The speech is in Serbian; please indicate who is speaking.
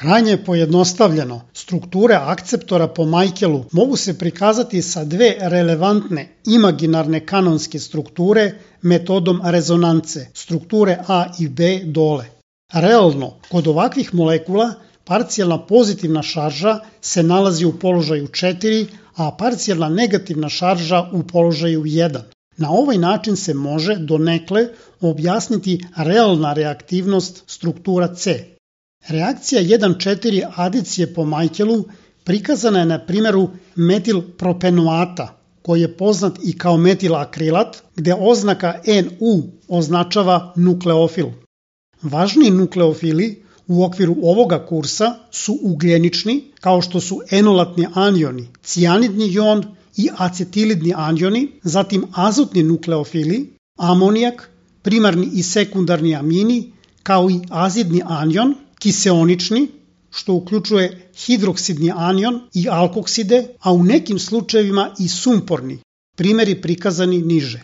Speaker 1: Krajnje pojednostavljeno, strukture akceptora po Michaelu mogu se prikazati sa dve relevantne imaginarne kanonske strukture metodom rezonance, strukture A i B dole. Realno, kod ovakvih molekula parcijalna pozitivna šarža se nalazi u položaju 4, a parcijalna negativna šarža u položaju 1. Na ovaj način se može donekle objasniti realna reaktivnost struktura C. Reakcija 1,4 adicije po Michaelu prikazana je na primjeru metilpropenoata, koji je poznat i kao metilakrilat, gde oznaka NU označava nukleofil. Važni nukleofili u okviru ovoga kursa su ugljenični, kao što su enolatni anioni, cijanidni jon i acetilidni anioni, zatim azotni nukleofili, amonijak, primarni i sekundarni amini, kao i azidni anion, kiseonični, što uključuje hidroksidni anion i alkokside, a u nekim slučajevima i sumporni, primjeri prikazani niže.